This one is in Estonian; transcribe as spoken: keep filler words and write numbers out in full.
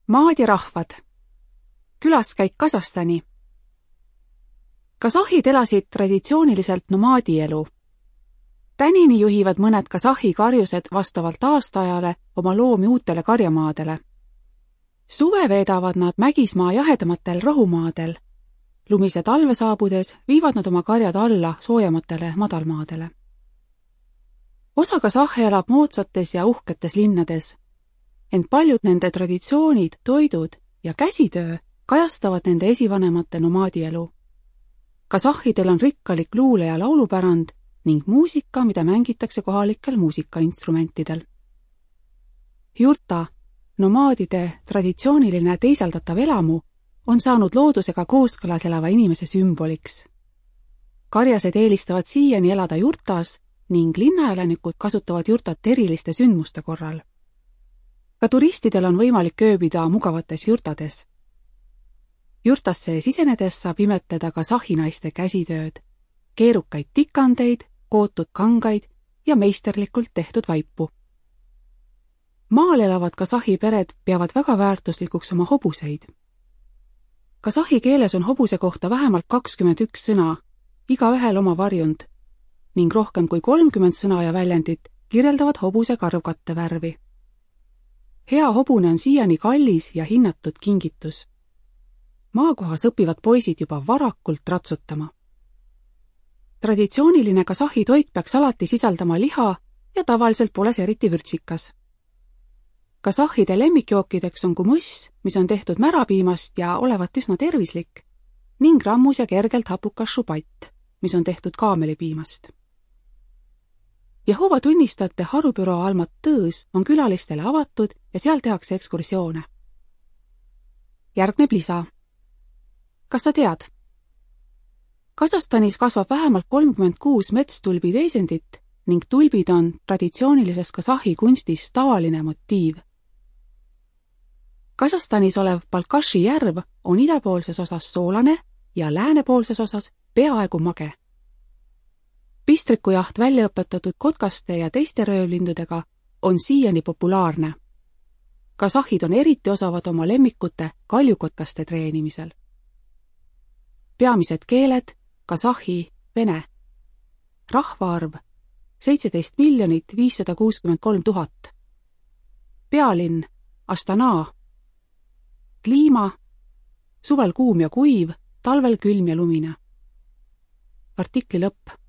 Maad ja rahvad. Külaskäik Kasahstani. Kasahhid elasid traditsiooniliselt nomaadielu. Tänini juhivad mõned kasahhi karjused vastavalt aastaajale oma loomi uutele karjamaadele. Suve veedavad nad mägismaa jahedamatel rohumaadel. Lumise talve saabudes viivad nad oma karjad alla soojamatele madalmaadele. Osa kasahhe elab moodsates ja uhketes linnades, ent paljud nende traditsioonid, toidud ja käsitöö kajastavad nende esivanemate nomaadielu. Kasahhidel on rikkalik luule- ja laulupärand ning muusika, mida mängitakse kohalikel muusikainstrumentidel. Jurta, nomaadide traditsiooniline teiseldatav elamu, on saanud loodusega kooskõlas elava inimese sümboliks. Karjased eelistavad siiani elada jurtas ning linnaelanikud kasutavad jurtat eriliste sündmuste korral. Ka turistidel on võimalik ööbida mugavates jurtades. Jurtasse sisenedes saab imetleda kasahhi naiste käsitööd, keerukaid tikandeid, kootud kangaid ja meisterlikult tehtud vaipu. Maal elavad kasahhi pered peavad väga väärtuslikuks oma hobuseid. Kasahhi keeles on hobuse kohta vähemalt kakskümmend üks sõna, iga ühel oma varjund, ning rohkem kui kolmkümmend sõna ja väljendit kirjeldavad hobuse karvkattevärvi. Hea hobune on siiani kallis ja hinnatud kingitus. Maakohas õpivad poisid juba varakult ratsutama. Traditsiooniline kasahhi toit peaks alati sisaldama liha ja tavaliselt pole see eriti vürtsikas. Kasahhide lemmikjookideks on kumuss, mis on tehtud märapiimast ja olevat üsna tervislik, ning rammus ja kergelt hapukas šubatt, mis on tehtud kaamelipiimast. Jehova tunnistajate harubüroo Almat Tõõs on külalistele avatud ja seal tehakse ekskursioone. Järgneb lisa. Kas sa tead? Kasahstanis kasvab vähemalt kolmkümmend kuus metstulbi teisendit ning tulbid on traditsioonilises kasahhi kunstis tavaline motiiv. Kasahstanis olev Balkashi järv on idapoolses osas soolane ja läänepoolses osas peaaegu mage. Pistrikujaht väljaõpetatud kotkaste ja teiste röövlindudega on siiani populaarne. Kasahhid on eriti osavad oma lemmikute kaljukotkaste treenimisel. Peamised keeled kasahhi, vene. Rahvaarv seitseteist miljonit viissada kuuskümmend kolm tuhat. Pealinn Astana. Kliima suvel kuum ja kuiv, talvel külm ja lumine. Artikli lõpp.